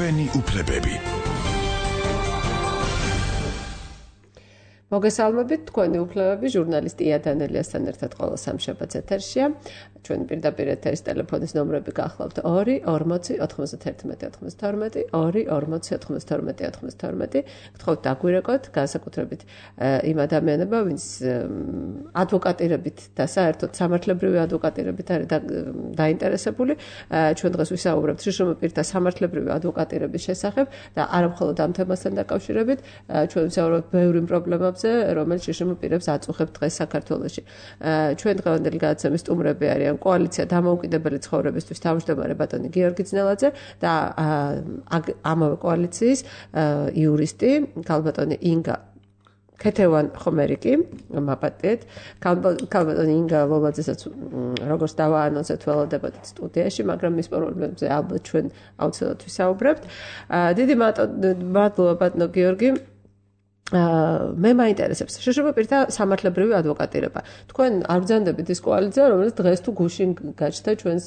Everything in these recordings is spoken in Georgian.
ჩვენი უფლებები. მოგესალმებით, თქვენი უფლებები ჟურნალისტი ია დანელიასთან ერთად ყოველ სამშაბათს ეთერშია. ჩვენი პირდაპირ ეთერის ტელეფონის ნომრები გახლავთ 2 40 91 92 2 40 92 92. გთხოვთ დაგვირეკოთ, განსაკუთრებით იმ ადამიანებმა, ვინც ადვოკატირებით და საერთოდ სამართლებრივი ადვოკატირებით არის დაინტერესებული. ჩვენ დღეს ვისაუბრებთ შრომის პირთა სამართლებრივი ადვოკატირების შესახებ და არა მხოლოდ ამ თემასთან დაკავშირებით, ჩვენ ვისაუბრებთ ბევრი პრობლემებზე, რომელიც შრომის პირებს აწუხებს დღეს საქართველოში. ჩვენ დღევანდელი გადაცემის სტუმრები არიან კოალიცია დამოუკიდებელი ცხოვრებისთვის თავმჯდომარე ბატონი გიორგი ძნელაძე და ამავე კოალიციის იურისტი ქალბატონი ინგა ქეთევან ხომერიკი, მაპატეთ, ქალბატონი ინგა ლოლაძესაც როგორც დავაანონსეთ ველოდებათ სტუდიაში, მაგრამ მის პრობლემებზე ალბათ ჩვენ აუცილებლად ვისაუბრებთ. დიდი მადლობა ბატონო გიორგი. მე მაინტერესებს შრომის პირთა სამართლებრივი ადვოკატირება. თქვენ არ ბრძანდებით ის კოალიცია, რომელიც დღეს თუ გუშინ გაჩნდა ჩვენს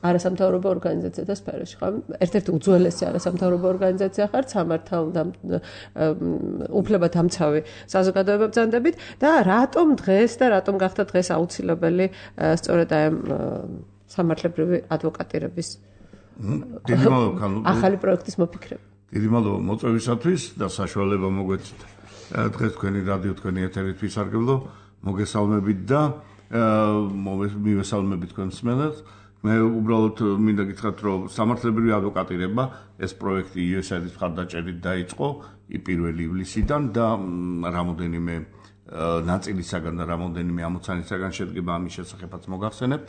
არასამთავრობო ორგანიზაციათა სფეროში, ხო? ერთ-ერთი უძველესი არასამთავრობო ორგანიზაცია ხართ, უფლებათამცავი საზოგადოება ბრძანდებით და რატომ დღეს და რატომ გახდა დღეს აუცილებელი სწორედ აი სამართლებრივი ადვოკატირების ახალი პროექტის მოფიქრება? დიდი მადლობა მოწვევისათვის და საშუალება მოგვეცით დღეს თქვენი რადიო თქვენი ეთერით ვისარგებლო. მოგესალმებით და მივესალმებით თქვენ მსმენელს. მე უბრალოდ მინდა გითხრათ, რომ სამართლებრივი ადვოკატირება ეს პროექტი USAID-ის მხარდაჭერით დაიწყო 1 ივლისიდან და რამოდენიმე ნაწილისაგან და რამოდენიმე ამოცანისაგან შედგება ამის შესახებაც მოგახსენებთ,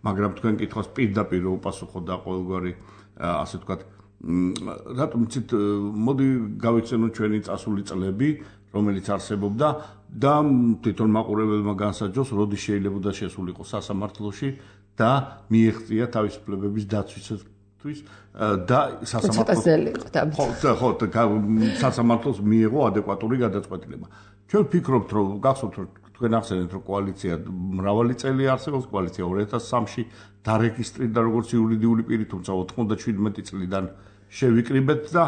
მაგრამ თქვენ კითხვას პირდაპირ უპასუხოთ და ყოველგვარი ასე ვთქვათ რატომ იცით მოდი გავიცანოთ ჩვენი წასული წლები, რომელიც არსებობდა და თვითონ მაყურებელმა განსაჯოს, როდის შეიძლება შესულიყო სასამართლოში და მიეღწია თავისუფლებების დაცვისთვის და სასამართლოს მიიღო ადეკვატური გადაწყვეტილება. ჩვენ ვფიქრობთ, რომ გახსოვთ, რომ თქვენ ახსენეთ, რომ კოალიცია მრავალი წელი არსებობს, კოალიცია 2003-ში დარეგისტრირდა როგორც იურიდიული პირი, თუმცა 97 წლიდან შევიკრიბეთ და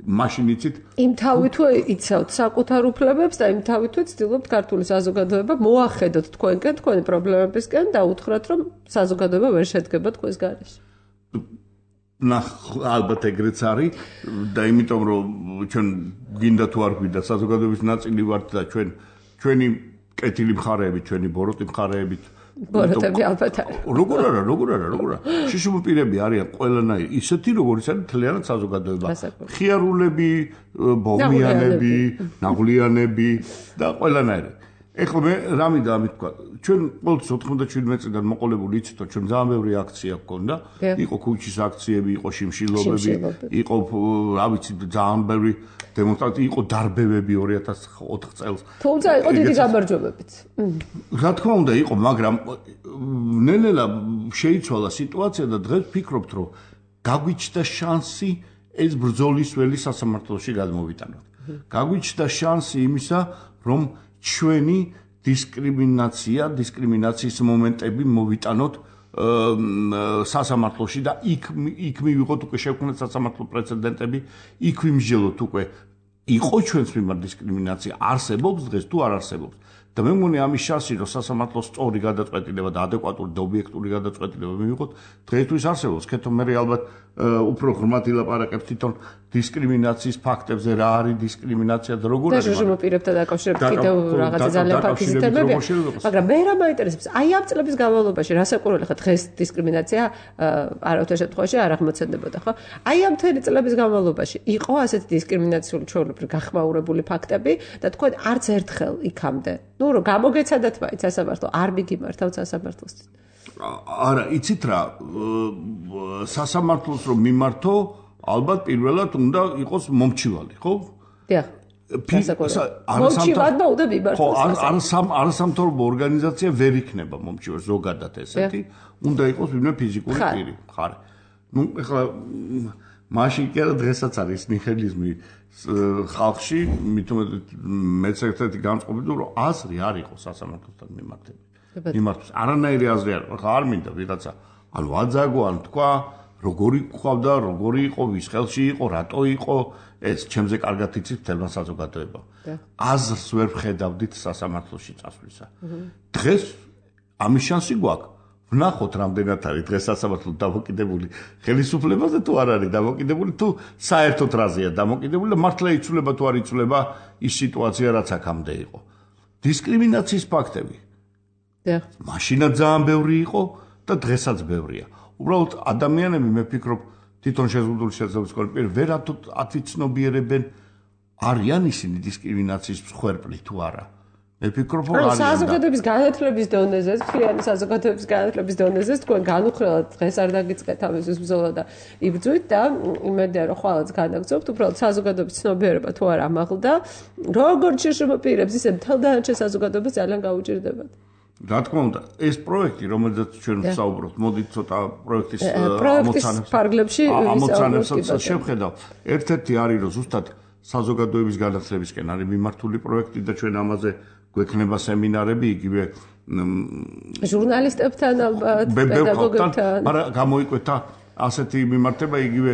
მაშინ იცით იმ თავით იცავთ საკუთარ უფლებებს და იმ თავით ვცდილობთ ქართული საზოგადოება მოახედოთ თქვენკენ, თქვენი პრობლემებისკენ და უთხრათ, რომ საზოგადოება ვერ შედგება თქვენს გარეშე. ალბათ ეგრეც არის და იმიტომ რომ ჩვენ გინდა თუ არ გვინდა საზოგადოების ნაწილი ვართ და ჩვენი კეთილი მხარეები, ჩვენი ბოროტი მხარეები ბოროტები ალბათ არის. როგორ არა. შრომის პირები არიან ყველანაირი, ისეთი როგორიც არის მთლიანად საზოგადოება. ხიარულები, ბოლმიანები, ნაღვლიანები და ყველანაირი. ეხლა მე რა მინდა ამით თქვა, ჩვენ ყოველთვის 97 წლიდან მოყოლებული იცით, რომ ჩვენ ძალიან ბევრი აქცია გქონდა, იყო ქუჩის აქციები, იყო შიმშილობები, იყო რა ვიცი ძალიან ბევრი დემონსტრაცია, იყო დარბევები 2004 წელს. თუმცა იყო დიდი გამარჯვებებიც. რა თქმა უნდა იყო, მაგრამ ნელ-ნელა შეიცვალა სიტუაცია და დღეს ვფიქრობთ, რომ გაგვიჩნდა შანსი ეს ბრძოლის ველი სასამართლოში გადმოვიტანოთ. გაგვიჩნდა შანსი იმისა, რომ ჩვენი დისკრიმინაციის მომენტები მოვიტანოთ სასამართლოში და იქ მივიღოთ უკვე შევქმნათ სასამართლო პრეცედენტები, იქ ვიმსჯელოთ უკვე იყო ჩვენს მიმართ დისკრიმინაცია, არსებობს დღეს თუ არ არსებობს. და მე მგონი ამის შანსი, რომ სასამართლოს სწორი გადაწყვეტილება და ადეკვატური და ობიექტური გადაწყვეტილება მივიღოთ, დღეისთვის არსებობს. ქეთო მე ალბათ უფრო ღრმად ილაპარაკებს თვითონ დისკრიმინაციის ფაქტებზე, რა არის დისკრიმინაცია და როგორ არის. და შრომის პირებთან დაკავშირებით კიდევ რაღაცა ძალიან ფაქტიზი თემებია. მაგრამ მე რა მაინტერესებს, აი ამ წლების განმავლობაში რასაკვირველი ხა დღეს დისკრიმინაცია არავითარ შემთხვევაში არ აღმოცენდებოდა, ხო? აი ამ მთელი წლების განმავლობაში იყო ასეთი დისკრიმინაციული ჩვეულებრივ გახმაურებული ფაქტები და თქვენ არც ერთხელ იქამდე რომ გამოგეცადათ მაინც სასამართლო, არ მიგიმართავთ სასამართლოს. არა, იცით რა, სასამართლოს რომ მიმართო, ალბათ პირველად უნდა იყოს მომჩივალი, ხო? დიახ. მომჩივადმა უნდა მიმართოს. არასამთავრობო ორგანიზაცია ვერ იქნება მომჩივარი, ზოგადად ესეთი, უნდა იყოს ვინმე ფიზიკური პირი, ხარი. ნუ ეხლა მაშინ კი არა დღესაც არის ნიჰილიზმი ხალხში, მეც ერთ-ერთი განწყობილი, რომ აზრი არ იყო სასამართლოსთან მიმართებით. მიმართოს არანაირი აზრი არ, ხა არ მინდა ვიღაცა, ანუ აძაგო, ან თქვა, როგორი ყავდა, როგორი იყო, ვის ხელში იყო, რატო იყო, ეს ჩემზე კარგად იცის მთელმა საზოგადოებამ. აზრს ვერ ვხედავდით სასამართლოში წასვლისა. დღეს ამის შანსი გვაქვს. ვნახოთ რამდენად არის დღეს სასამართლო დამოკიდებული ხელისუფლებაზე თუ არ არის დამოკიდებული თუ საერთოდ რაზეა დამოკიდებული და მართლა იცვლება თუ არ იცვლება ის სიტუაცია რაც აქამდე იყო. დისკრიმინაციის ფაქტები. მაშინაც ძალიან ბევრი იყო და დღესაც ბევრია. უბრალოდ ადამიანები მე ვფიქრობ თვითონ შეზღუდული შესაძლებლობის კონტროლი ვერათუ ათვიცნობიერებენ არიან ისინი დისკრიმინაციის მსხვერპლი თუ არა. მე ვფიქრობ რომ არიან. საზოგადოების განათლების დონეზე, მთლიანი საზოგადოების განათლების დონეზე თქვენ განუხრელად დღეს არ დაგიწყეთ ამისთვის ბრძოლა და იბრძვით და იმედია რომ ხვალაც განაგრძობთ, უბრალოდ საზოგადოების ცნობიერება თუ არ ამაღლდა, როგორც შეშმოპირებს ისე მთელ დანარჩენ საზოგადოებას ძალიან გაუჭირდებათ. რა თქმა უნდა, ეს პროექტი, რომელზეც ჩვენ ვსაუბრობთ, მოდით ცოტა პროექტის ამოცანებსაც შევხედავ. ერთ-ერთი არის, რომ ზუსტად საზოგადოების განათლებისკენ არის მიმართული პროექტი და ჩვენ ამაზე გვექნება სემინარები, იგივე ჟურნალისტებთან ალბათ, პედაგოგებთან. მაგრამ გამოიკვეთა ასეთი მიმართება, იგივე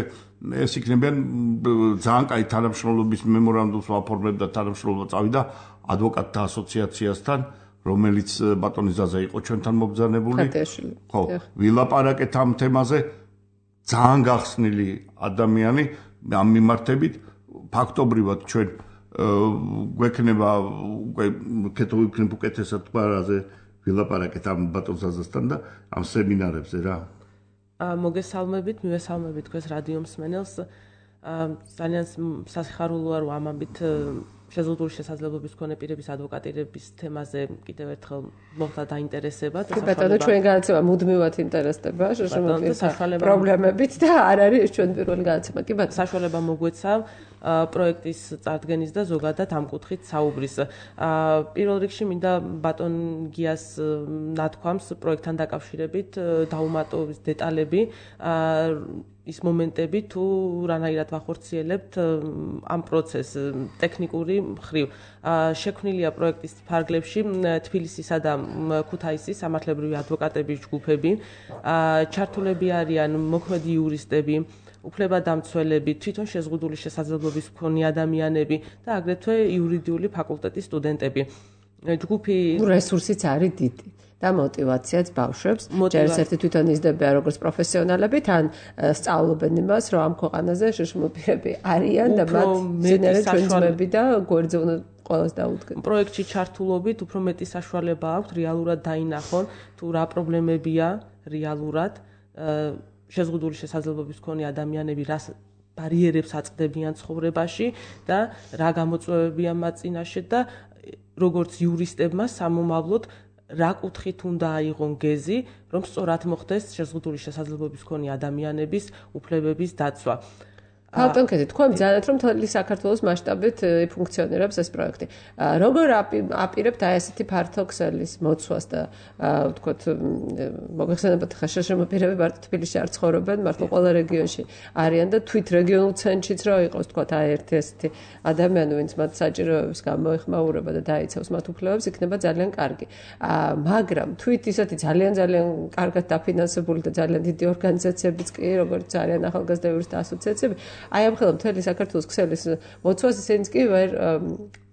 ეს იქნებიან ძალიან კაი თანამშრომლობის მემორანდუმს ვაფორმებ და თანამშრომლობა წავიდა ადვოკატთა ასოციაციასთან. რომელიც ბატონი ზაზა იყო ჩვენთან მობრძანებული. ხო, ვილაპარაკეთ ამ თემაზე ძალიან გახსნილი ადამიანი ამ მიმართებით ფაქტობრივად ჩვენ გვექნება უკვე ქეთოვიქნებ უკეთესად თქვარაზე ვილაპარაკეთ ამ ბატონ ზაზასთან და ამ სემინარებზე რა. მოგესალმებით, მივესალმებით თქვენს რადიო მსმენელს. ძალიან სასიხარულოა რომ ამით შეზღუდული შესაძლებლობის მქონე პირების ადვოკატირების თემაზე კიდევ ერთხელ მოხდა დაინტერესება და ბატონო ჩვენ განაცემა მუდმივად ინტერესდება შეშმოპირებთა პრობლემებით და არ არის ეს ჩვენ პირველი განაცემა კი ბატონო საშუალება მოგვეცა პროექტის წარდგენის და ზოგადად ამ კუთხით საუბრის. პირველ რიგში მინდა ბატონ გიას ნათქვამს პროექტთან დაკავშირებით დაუმატოს დეტალები ის მომენტები თუ რანაირად ვახორციელებთ ამ პროცესს ტექნიკური მხრივ. შექმნილია პროექტის ფარგლებში თბილისისა და ქუთაისის სამართლებრივი ადვოკატების ჯგუფები. ჩართულები არიან მოქმედი იურისტები, უფლებადამცველები, თვითონ შეზღუდული შესაძლებლობის მქონე ადამიანები და აგრეთვე იურიდიული ფაკულტეტის სტუდენტები. ჯგუფი რესურსიც არის დიდი. და мотивაციაც ბავშვებს ჯერჯერობით თვითონ იზრდებიან როგორც პროფესიონალები, თან სწავლობენ იმას, რომ ამ ქვეყანაზე შეშმოპირები არიან და მათ ძინერე ჩვენები და გვერდზე უნდა ყველას დაუდგენ. პროექტში ჩართულობით უფრო მეტი საშუალება აქვს რეალურად დაინახონ თუ რა პრობლემებია რეალურად შეზღუდული შესაძლებლობის მქონე ადამიანები რას ბარიერებს აწყდებიან ცხოვრებაში და რა გამოწვევებია მათ წინაშე და როგორც იურისტებმა სამომავლოდ რა კუთხით უნდა აიღონ გეზი, რომ სწორად მოხდეს შეზღუდული შესაძლებლობის მქონე ადამიანების უფლებების დაცვა. ბატონკეთი, თქვენ ბრძანეთ, რომ მთელი საქართველოს მასშტაბით ფუნქციონირებს ეს პროექტი. როგორ აპირებთ აი ესეთი ფართო ქსელის მოცვას და ვთქვათ, მოგეხსენებათ ხა შეშმოპირები მარტო თბილისში არ ცხოვრობენ, მართლა ყველა რეგიონში არიან და თვით რეგიონულ ცენტრშიც რა იყოს, ვთქვათ, აი ერთი ესეთი ადამიანი, ვინც მათ საჭიროებებს გამოეხმაურება და დაიცავს მათ უფლებებს, იქნება ძალიან კარგი. მაგრამ თვით ისეთი ძალიან კარგად დაფინანსებული და ძალიან დიდი ორგანიზაციებიც კი, როგორც არიან ახალგაზრდა იურისტთა ასოციაციები, აი ამ ხელა მთელი საქართველოს ქსელის მოცვას ისინიც კი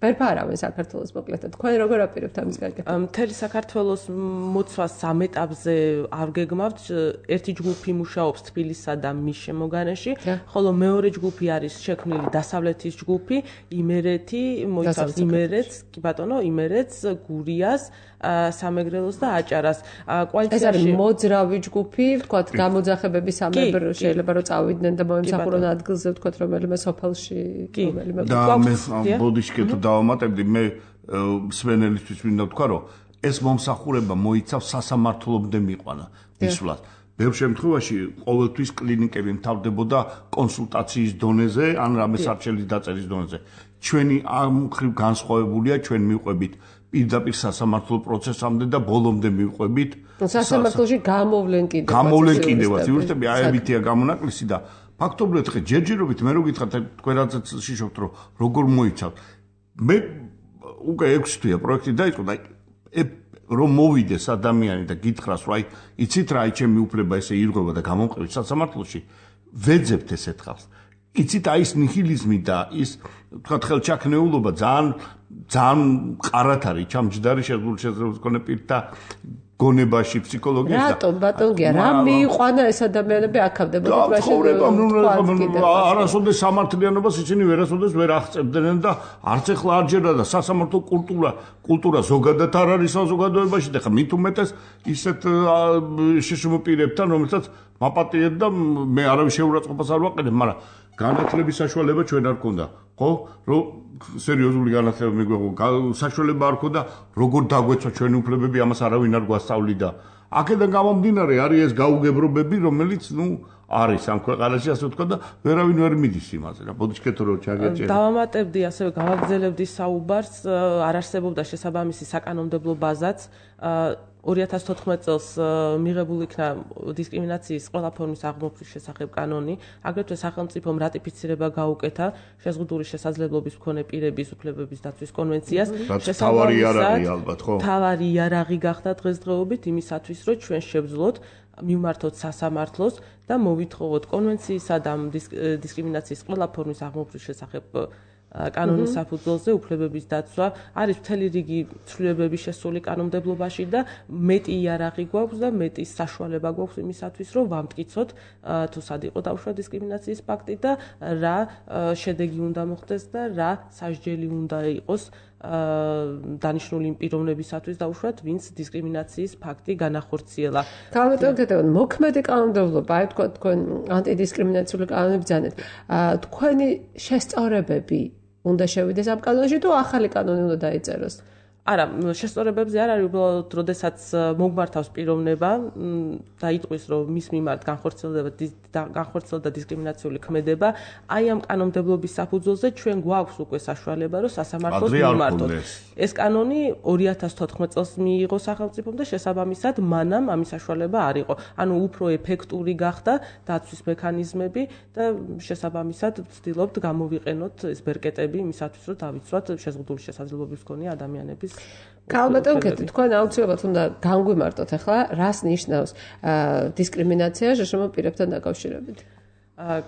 ვერ ფარავენ საქართველოს მოკლედ. თქვენ როგორ აპირებთ ამის გაკეთება? მთელი საქართველოს მოცვას ამ ეტაპზე არ გეგმავთ. ერთი ჯგუფი მუშაობს თბილისსა და მის შემოგარენში, ხოლო მეორე ჯგუფი არის შექმნილი დასავლეთის ჯგუფი, იმერეთი, მოიცავს იმერეთს, კი ბატონო, იმერეთს, გურიას, სამეგრელოს და აჭარას. ეს არის მოძრავი ჯგუფი, ვთქვათ, გამოძახებები სამებრ შეიძლება რომ წავიდნენ და მოემსახურონ ადგილზე, ვთქვათ, რომელიმე სოფელში, რომელიმე და მე ბოდიშკეთ დავამატებდი, მე მსმენელისთვის მინდა ვთქვა, რომ ეს მომსახურება მოიცავს სასამართლომდე მიყვანა ისვლას. ბევრ შემთხვევაში ყოველთვის კლინიკები მთავრდებოდა კონსულტაციის დონეზე, ან რამე სარჩელის დაწერის დონეზე. ჩვენი ამ მხრივ განსხვავებულია, ჩვენ მივყვებით პირდაპირ სასამართლო პროცესამდე და ბოლომდე მივყვებით სასამართლოში გამოვლენ კიდევაც იურისტები აებითია გამონაკლისი და ფაქტობრივად ხე ჯერჯერობით მე რო გითხრათ თქვენ რაცაც შიშობთ რომ როგორ მოიცავთ მე უკვე 6 თვეა პროექტი დაიწყო და რომ მოვიდეს ადამიანი და გითხრას, რომ აი, იცით რა, ჩემი უფლება ესე ირღვევა და გამომყევი სასამართლოში, ვეძებთ ესეთ ხალხს. იცით აი ეს ნიჰილიზმი და ის თქვა ხელჩაქნეულობა ძალიან მყარად არის ჩამჯდარი შესაძლებლობის მქონე პირთა გონებაში ფსიქოლოგიაში. რატომ ბატონგია რა მიიყვანა ეს ადამიანები აქამდე არასოდეს სამართლიანობას ისინი ვერასოდეს ვერ აღწევდნენ და არც ეხლა არჯერა და სასამართლო კულტურა ზოგადად არ არის საზოგადოებაში და ხა მით უმეტეს ისეთ შეშმო პირებთან რომელსაც მაპატიეთ და მე არავის შეურაცხყოფას არ ვაყენებ, მაგრამ განათლების საშუალება ჩვენ არ გქონდა, ხო? რომ სერიოზული განათლება მიგვეღო, საშუალება არ გქონდა, როგორ დაგვეცვა ჩვენი უფლებები, ამას არავინ არ გვასწავლიდა. აქედან გამომდინარე არის ეს გაუგებრობები, რომელიც, არის ამ ქვეყანაში, ასე ვთქვა და ვერავინ ვერ მიდის იმაზე რა. ბოდიშკეთო რომ ჩაგეჭერე. დავამატებდი, ასევე გავაგრძელებდი საუბარს, არ არსებობდა შესაბამისი საკანონმდებლო ბაზაც. 2014 წელს მიღებული იქნა დისკრიმინაციის ყველა ფორმის აღმოფხვის შესახებ კანონი, აგრეთვე სახელმწიფომ რატიფიცირება გაუკეთა შეზღუდული შესაძლებლობის მქონე პირების უფლებების დაცვის კონვენციას. თავარი იარაღი ალბათ, ხო? თავარი იარაღი გახდა დღესდღეობით იმისათვის, რომ ჩვენ შევძლოთ მივმართოთ სასამართლოს და მოვითხოვოთ კონვენციისა და დისკრიმინაციის ყველა ფორმის აღმოფხვის შესახებ კანონის საფუძველზე უფლებების დაცვა არის მთელი რიგი ცვლილებები შესული კანონმდებლობაში და მეტი იარაღი გვაქვს და მეტი საშუალება გვაქვს იმისათვის, რომ ვამტკიცოთ თუ სად იყო დაუშვა დისკრიმინაციის ფაქტი და რა შედეგი უნდა მოხდეს და რა სასჯელი უნდა იყოს დანიშნული იმ პიროვნებისათვის დაუშვათ, ვინც დისკრიმინაციის ფაქტი განახორციელა. თავდადაგებთ მოქმედი კანონმდებლობა, აი თქვა თქვენ ანტიდისკრიმინაციული კანონები ბრძანეთ. თქვენი შესწორებები უნდა შევიდეს ამ კანონში თუ ახალი კანონი უნდა დაიწეროს? არა, შესწორებებზე არ არის, უბრალოდ როდესაც მოგმართავს პიროვნება და იტყვის, რომ მის მიმართ განხორციელდა დისკრიმინაციული ქმედება, აი ამ კანონმდებლობის საფუძველზე ჩვენ გვაქვს უკვე საშუალება, რომ სასამართლოს მიმართოთ. ეს კანონი 2014 წელს მიიღო სახელმწიფომ და შესაბამისად მანამ ამის საშუალება არ იყო. ანუ უფრო ეფექტური გახდა დაცვის მექანიზმები და შესაბამისად ვცდილობთ გამოვიყენოთ ეს ბერკეტები იმისათვის, რომ დავიცვათ შეზღუდული შესაძლებლობის მქონე ადამიანების კალბატონკეთ, თქვენ აუცილებლად უნდა განგვიმარტოთ ახლა, რას ნიშნავს დისკრიმინაცია შეშმო პირებთან დაკავშირებით?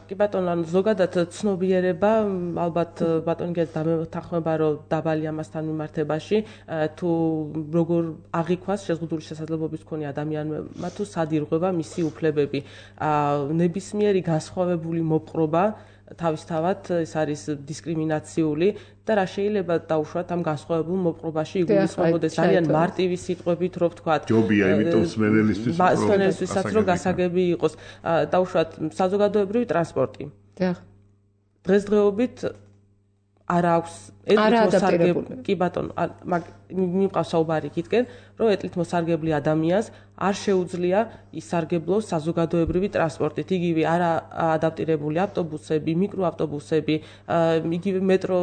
კი ბატონო, ზოგადად ცნობიერება, ალბათ ბატონგეს დამეთანხმება, რომ დაბალი ამასთან მიმართებაში, თუ როგორ აღიქვას შეზღუდული შესაძლებლობის მქონე ადამიანმა თუ სად ირღვევა მისი უფლებები. ნებისმიერი განსხვავებული მოპყრობა თავისთავად ეს არის დისკრიმინაციული და რა შეიძლება დაუშვათ ამ განსხვავებულ მოპყრობაში იგულისხმებოდეს ძალიან მარტივი სიტყვებით, რო ვთქვათ. ჯობია, იმიტომ სმენელისთვისაც რომ გასაგები იყოს. დაუშვათ საზოგადოებრივი ტრანსპორტი. დღესდღეობით არ აქვს ეთნოსარგებლი. კი ბატონო, მიყავს საუბარი იქითკენ, რომ ეთნით მოსარგებლი ადამიანს არ შეუძლია ისარგებლოს საზოგადოებრივი ტრანსპორტით. იგივე არა ადაპტირებული ავტობუსები, მიკროავტობუსები, იგივე მეტრო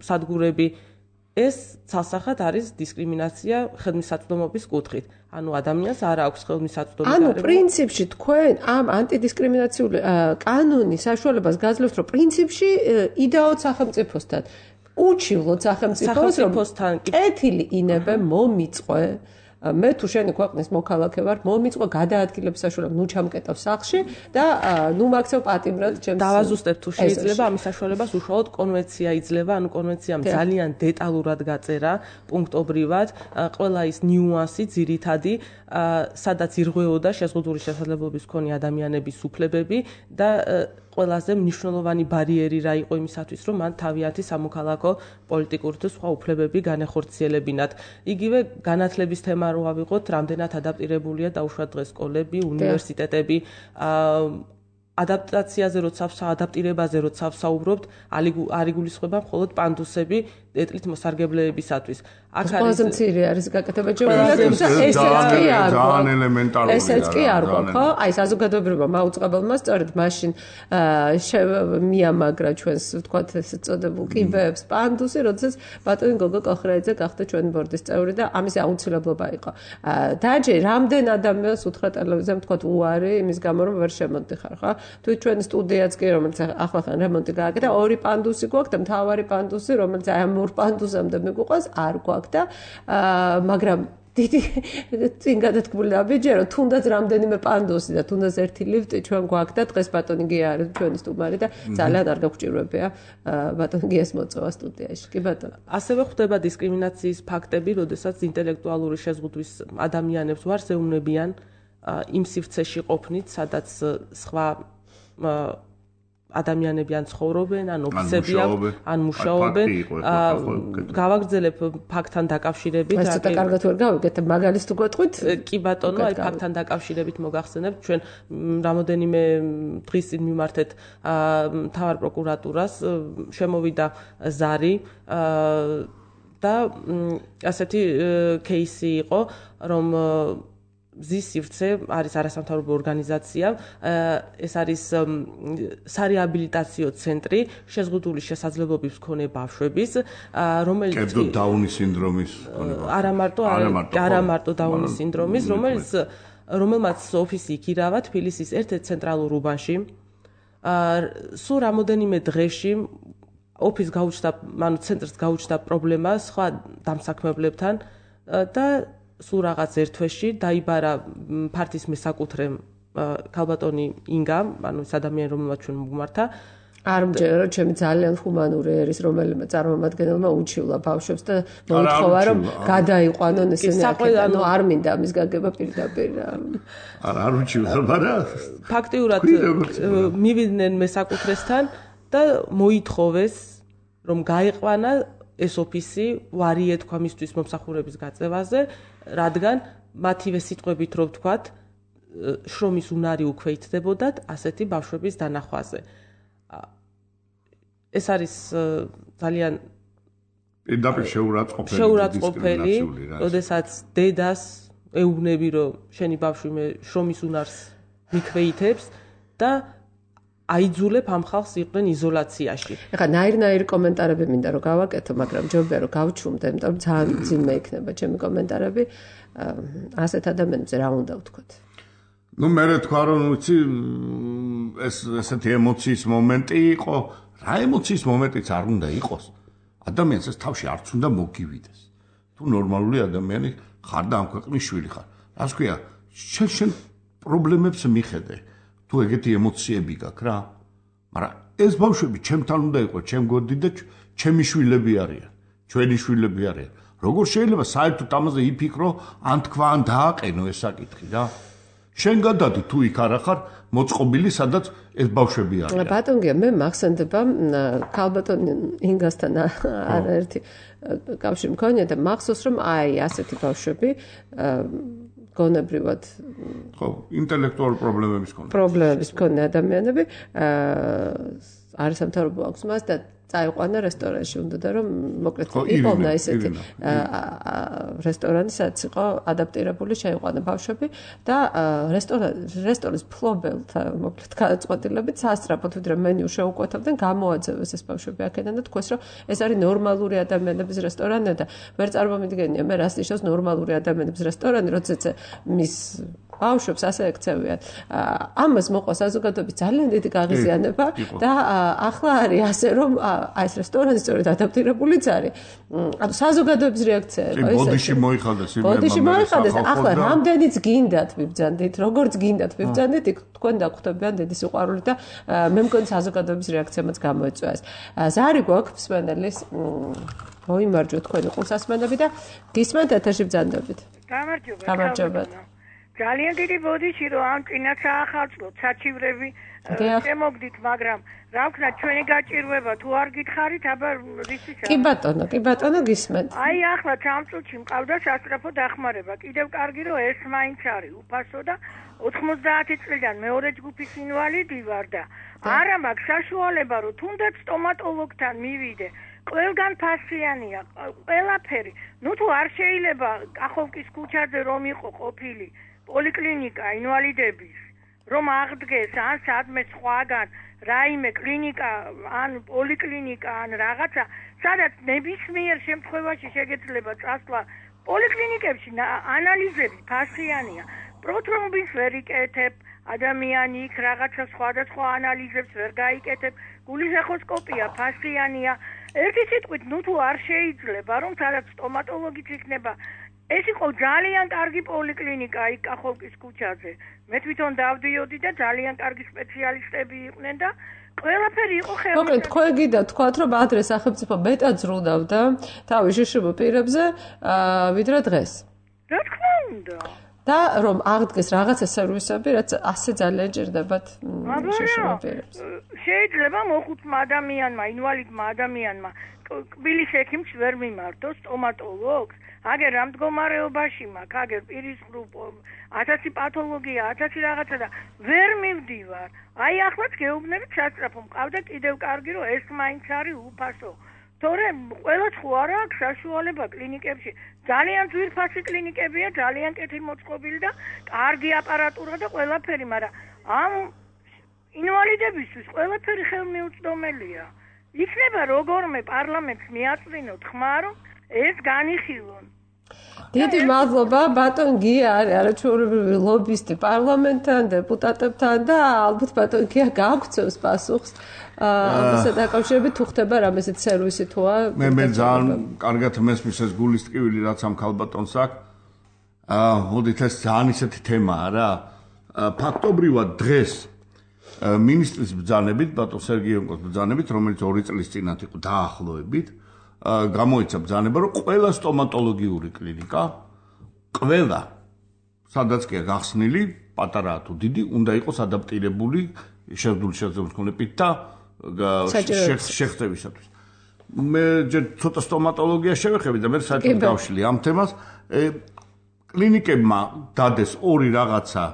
სადგურები. ეს ცალსახად არის დისკრიმინაცია ხელმისაწვდომობის კუთხით. ანუ ადამიანს არ აქვს ხელმისაწვდომი. ანუ პრინციპში თქვენ ამ ანტიდისკრიმინაციული კანონის საშუალებას გაძლევთ, რომ პრინციპში იდაოთ სახელმწიფოსთან, უჩივლოთ სახელმწიფოსთან, კეთილი ინებე მომიწყვე. მე თუ შენი ქვეყნის მოქალაქე ვარ, მომიწყვე გადაადგილების საშუალება, ნუ ჩამკეტავ სახლში და ნუ მაქცევ პატიმრად ჩემს. დავაზუსტებ თუ შეიძლება ამის საშუალებას უშუალოდ კონვენცია იძლევა, ანუ კონვენციამ ძალიან დეტალურად გაწერა პუნქტობრივად ყველა ის ნიუანსი ძირითადი, სადაც ირღვეოდა შეზღუდული შესაძლებლობის მქონე ადამიანების უფლებები და ყველაზე მნიშვნელოვანი ბარიერი რა იყო იმისათვის, რომ მან თავიანთი სამოქალაქო პოლიტიკური თუ სხვა უფლებები განეხორციელებინათ. იგივე განათლების თემა რო ავიღოთ, რამდენად ადაპტირებულია დაუშვათ დღეს სკოლები, უნივერსიტეტები, ადაპტაციაზე როცა ადაპტირებაზე როცა ვსაუბრობთ, არ იგულისხმება მხოლოდ პანდუსები ეთნით მოსარგებლებისათვის. აქ არის მცირე არის გაკეთება ჯობია, ძალიან ელემენტარული. ესეც კი არ გვაქვს, ხო? აი საზოგადოებრივმა მაუწყებელმა სწორედ მაშინ მიამაგრა ჩვენს ვთქვათ ესე წოდებულ კიბეებს პანდუსი, როდესაც ბატონი გოგო კოხრაიძე გახდა ჩვენი ბორდის წევრი და ამის აუცილებლობა იყო. დაჯე რამდენ ადამიანს უთხრა ტელევიზიამ ვთქვათ უარი იმის გამო რომ ვერ შემოდიხარ, ხო? თუ ჩვენი სტუდიაც კი რომელიც ახლახან რემონტი გააკეთა, ორი პანდუსი გვაქვს და მთავარი პანდუსი, რომელიც აი ამ ორ პანდუსამდე მიგვიყვანს, არ გვაქვს და მაგრამ დიდი წინ გადათქმული აბიჯერო, თუნდაც რამდენიმე პანდოსი და თუნდაც ერთი ლიფტი ჩვენ გვაქვს და დღეს ბატონი გია არის ჩვენი სტუმარი და ძალიან არ გაგვჭირვებია ბატონი გიას მოწვევა სტუდიაში. კი ბატონო. ასევე ხდება დისკრიმინაციის ფაქტები, როდესაც ინტელექტუალური შეზღუდვის ადამიანებს ვარს ეუბნებიან იმ სივრცეში ყოფნით, სადაც სხვა ადამიანები ან ცხოვრობენ, ან ოფისები აქვს, ან მუშაობენ. გავაგრძელებ ფაქტთან დაკავშირებით. ეს ცოტა კარგად ვერ გავიგეთ, მაგალითს თუ გეტყვით? კი ბატონო, აი ფაქტთან დაკავშირებით მოგახსენებთ, ჩვენ რამოდენიმე დღის წინ მიმართეთ მთავარ პროკურატურას, შემოვიდა ზარი და ასეთი кейსი იყო, რომ მზის სივრცე არის არასამთავრობო ორგანიზაცია, ეს არის სარეაბილიტაციო ცენტრი შეზღუდული შესაძლებლობების მქონე ბავშვების, რომელიც კერძო დაუნის სინდრომის არა მარტო დაუნის სინდრომის, რომელმაც ოფისი იქირავა თბილისის ერთ-ერთ ცენტრალურ უბანში. სულ რამოდენიმე დღეში ოფისს გაუჩნდა, ანუ ცენტრს გაუჩნდა პრობლემა სხვა დამსაქმებლებთან და სულ რაღაც ერთ თვეში დაიბარა ფართის მესაკუთრე ქალბატონი ინგა, ანუ ეს ადამიანი, რომელმაც ჩვენ მოგმართა. არ მჯერა, რომ ჩემი ძალიან ჰუმანური ერის რომელიმე წარმომადგენელმა უჩივლა ბავშვებს და მოითხოვა, რომ გადაიყვანონ ესენი აქედან. ანუ არ მინდა ამის გაგება პირდაპირ. არ უჩივლა, მაგრამ ფაქტიურად მივიდნენ მესაკუთრესთან და მოითხოვეს, რომ გაიყვანა ეს ოფისი ვარიე თქვა მისთვის მომსახურების გაწევაზე, რადგან მათივე სიტყვებით რო ვთქვათ, შრომის უნარი უკვე იცდებოდათ ასეთი ბავშვების დანახვაზე. ეს არის ძალიან პირდაპირ შეურაცხყოფელი, როდესაც დედას ეუბნები, რომ შენი ბავშვი მე შრომის უნარს მიქვეითებს და აიძულებ ამ ხალხს იყვნენ იზოლაციაში. ეხლა ნაირ კომენტარები მინდა რომ გავაკეთო, მაგრამ ჯობია რომ გავჩუმდე, იმიტომ რომ ძალიან ძიმე იქნება ჩემი კომენტარები. ასეთ ადამიანებზე რა უნდა ვთქვათ? ნუ მე თქვა რომ ვიცი ესეთი ემოციის მომენტი იყო, რა ემოციის მომენტიც არ უნდა იყოს. ადამიანს ეს თავში არც უნდა მოგივიდეს. თუ ნორმალური ადამიანი ხარ და ამ ქვეყნის შვილი ხარ. რას ქვია, შენ პრობლემებს მიხედე. თუ ეგეთი ემოციები გაქვს რა, მაგრამ ეს ბავშვები ჩემთან უნდა იყოს, ჩემ გორდი და ჩემი შვილები არიან, ჩვენი შვილები არიან. როგორ შეიძლება საერთოდ ამაზე იფიქრო, ან თქვა, ან დააყენო ეს საკითხი რა? შენ გადადი თუ იქ არ ახარ მოწყობილი, სადაც ეს ბავშვები არიან. ბატონ გია, მე მახსენდება ქალბატონ ინგასთან არაერთი კავშირი მქონია და მახსოვს რომ აი ასეთი ბავშვები გონებრივად ხო, ინტელექტუალური პრობლემების მქონე ადამიანები არასამთავრობო აქვს მას და წაიყვანა რესტორანში, უნდა რომ მოკლედ იყავნა ესეთი რესტორანი, სადაც იყო ადაპტირებული, შეიყვანა ბავშვები და რესტორანის ფლობელთა მოკლედ გადაწყვეტილებით სასწრაფოდ ვიდრე მენიუ შეუკვეთავდნენ, გამოაძევეს ეს ბავშვები აქედან და თქვეს, რომ ეს არის ნორმალური ადამიანების რესტორანი და ვერ წარმომიდგენია მე რას ნიშნავს ნორმალური ადამიანების რესტორანი, როდესაც მის ბავშვებს ასე ექცევიან. ამას მოყვა საზოგადოების ძალიან დიდი გაღიზიანება და ახლა არის ასე რომ ეს რესტორანი სწორედ ადაპტირებულიც არის. ანუ საზოგადოების რეაქცია იყო ეს. ბოდიში მოიხადეს. ახლა რამდენიც გინდათ ვიბრძანდით, როგორც გინდათ ვიბრძანდით, თქვენ დაგხვდებიან დიდი სიყვარული და მე მგონი საზოგადოების რეაქციამაც გამოეწვა ეს. ზარი გვაქვს მსმენელის მოიმარჯვოთ თქვენი ყურსასმენები და გისმენთ ეთერში ბრძანდებით. გამარჯობა. ძალიან დიდი ბოდიში რომ ამ წინაც აახალწლოთ საჩივრები შემოგდით, მაგრამ რა ვქნა ჩვენი გაჭირვება თუ არ გითხარით, აბა რისისა? კი ბატონო გისმენთ. აი ახლა ამ წუთში მყავდა სასწრაფო დახმარება. კიდევ კარგი რომ ეს მაინც არის უფასო და 90 წლიდან მეორე ჯგუფის ინვალიდი ვარ და არა მაქვს საშუალება რომ თუნდაც სტომატოლოგთან მივიდე. ყველგან ფასიანია, ყველაფერი. ნუ თუ არ შეიძლება კახოვკის ქუჩაზე რომ იყო ყოფილი პოლიკლინიკა ინვალიდების, რომ აღდგეს ან სადმე სხვაგან რაიმე კლინიკა ან პოლიკლინიკა ან რაღაცა, სადაც ნებისმიერ შემთხვევაში შეგეძლება წასვლა პოლიკლინიკებში ანალიზები ფასიანია. პროთრომბის ვერ იკეთებ, ადამიანი იქ რაღაცა სხვადასხვა ანალიზებს ვერ გაიკეთებ, გულის ეხოსკოპია ფასიანია. ერთი სიტყვით, ნუ თუ არ შეიძლება, რომ სადაც სტომატოლოგიც იქნება ეს იყო ძალიან კარგი პოლიკლინიკა იქ კახოვკის ქუჩაზე. მე თვითონ დავდიოდი და ძალიან კარგი სპეციალისტები იყვნენ და ყველაფერი იყო ხელმისაწვდომი. მოკლედ, თქვენ გიდა თქვათ, რომ ადრე სახელმწიფო მეტად ზრუნავდა თავის შიშობ პირებზე, ვიდრე დღეს. რა თქმა უნდა. და რომ აღდგეს რაღაცა სერვისები, რაც ასე ძალიან ჭირდებათ შიშობ პირებს. შეიძლება მოხუცმა ადამიანმა, ინვალიდმა ადამიანმა კბილის ექიმს ვერ მიმართოს, სტომატოლოგს, აგერ რა მდგომარეობაში მაქვს, აგერ პირის ღრუბ, 1000 პათოლოგია, 1000 რაღაცა და ვერ მივდივარ. აი ახლაც გეუბნებით სასწრაფო, მყავდა კიდევ კარგი, რომ ეს მაინც არის უფასო. თორემ ყველა ხო არა აქვს საშუალება კლინიკებში. ძალიან ძვირფასი კლინიკებია, ძალიან კეთილმოწყობილი და კარგი აპარატურა და ყველაფერი, მაგრამ ამ ინვალიდებისთვის ყველაფერი ხელმიუწვდომელია. იქნება როგორმე პარლამენტს მიაწვინოთ ხმა, რომ ეს განიხილონ. დიდი მადლობა, ბატონ გია არის არაჩვეულებრივი ლობისტი პარლამენტთან, დეპუტატებთან და ალბათ ბატონ გია გაგვცევს პასუხს ამასთან დაკავშირებით თუ ხდება რამესეთ სერვისი თუა. მე ძალიან კარგად მესმის ეს გულის ტკივილი რაც ამ ქალბატონს აქვს. მოდით ეს ძალიან ისეთი თემაა რა. ფაქტობრივად დღეს მინისტრის ბრძანებით, ბატონ სერგეიენკოს ბრძანებით, რომელიც 2 წლის წინათ იყო დაახლოებით, გამოიცა ბრძანება, რომ ყველა სტომატოლოგიური კლინიკა, ყველა, სადაც კი გახსნილი, პატარაა თუ დიდი, უნდა იყოს ადაპტირებული შეძლებული მქონებით და შეხწევისათვის. მე ჯერ ცოტა სტომატოლოგია შევეხები და მე საერთოდ გავშლი ამ თემას. კლინიკებმა დადეს 2 რაღაცა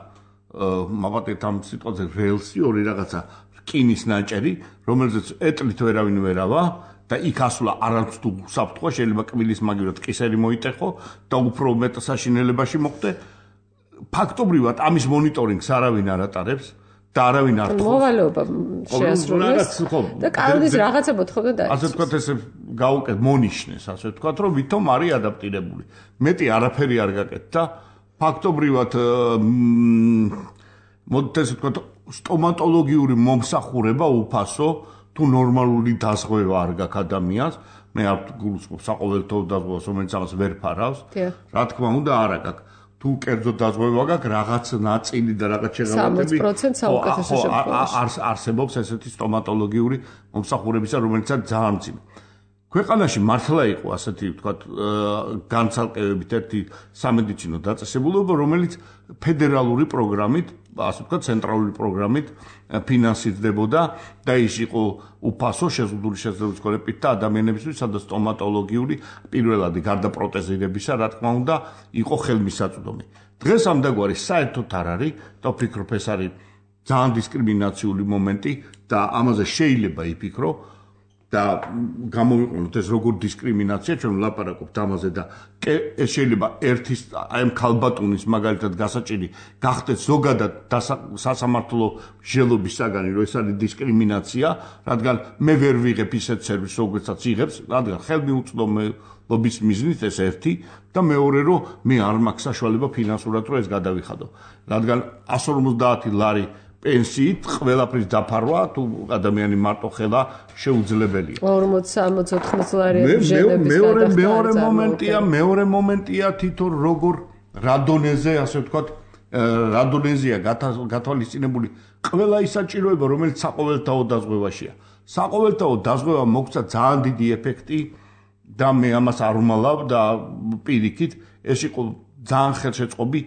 მოვატეთ ამ სიტყვაზე ველსი, 2 რაღაცა რკინის ნაჭერი, რომელზეც ეტლით ვერავინ ვერავა და იქ ასვლა არც თუ საფრთხე შეიძლება კბილის მაგივრად კისერი მოიტეხო და უფრო მეტ საშინელებაში მოხდე. ფაქტობრივად ამის მონიტორინგს არავინ არ ატარებს და არავინ არ თხოვს. მოვალეობა შეასრულეს და კანონის რაღაცა მოთხოვნა და ასე ვთქვათ ესე გაუკეთ მონიშნეს, ასე ვთქვათ, რომ ვითომ არის ადაპტირებული. მეტი არაფერი არ გაკეთდა. ფაქტობრივად მოდით ესე ვთქვათ, სტომატოლოგიური მომსახურება უფასო თუ ნორმალური დაზღვევა არ გაქვს ადამიანს, მე არ გულისხმობ საყოველთაო დაზღვევას, რომელიც ამას ვერ ფარავს. რა თქმა უნდა, არა გაქვს. თუ კერძო დაზღვევა გაქვს, რაღაც ნაწილი და რაღაც შეღავათები 60% საუკეთესო შემთხვევაში არსებობს ესეთი სტომატოლოგიური მომსახურებისა, რომელიცაც ძალიან მძიმე. ქვეყანაში მართლა იყო ასეთი ვთქვათ განცალკევებით ერთი სამედიცინო დაწესებულება, რომელიც ფედერალური პროგრამით, ასე ვთქვათ, ცენტრალური პროგრამით ფინანსირდებოდა და ის იყო უფასო შეზღუდული შესაძლებლობის მქონებით და ადამიანებისთვის, სადაც სტომატოლოგიური პირველადი გარდა პროტეზირებისა, რა თქმა უნდა, იყო ხელმისაწვდომი. დღეს ამდაგვარი საერთოდ არ არის და ვფიქრობ ეს არის ძალიან დისკრიმინაციული მომენტი და ამაზე შეიძლება იფიქრო და გამოვიყენოთ ეს როგორ დისკრიმინაცია, ჩვენ ვლაპარაკობთ ამაზე და ეს შეიძლება ერთის აი ამ ქალბატონის მაგალითად გასაჭირი გახდეს ზოგადად სასამართლო ჟელობის საგანი, რომ ეს არის დისკრიმინაცია, რადგან მე ვერ ვიღებ ისეთ სერვისს, როგორცაც იღებს, რადგან ხელმიუწვდომელობის მიზნით ეს ერთი და მეორე რომ მე არ მაქვს საშუალება ფინანსურად რომ ეს გადავიხადო, რადგან 150 ლარი პენსიით ყველაფრის დაფარვა თუ ადამიანი მარტო ხელა შეუძლებელია. 40-60 ლარი ჟენების გადახდა. მეორე მომენტია თვითონ როგორ რადონეზე, ასე ვთქვათ, რადონეზია გათვალისწინებული ყველა ის საჭიროება, რომელიც საყოველთაო დაზღვევაშია. საყოველთაო დაზღვევა მოგცა ძალიან დიდი ეფექტი და მე ამას არ ვმალავ და პირიქით ეს იყო ძალიან ხელშეწყობი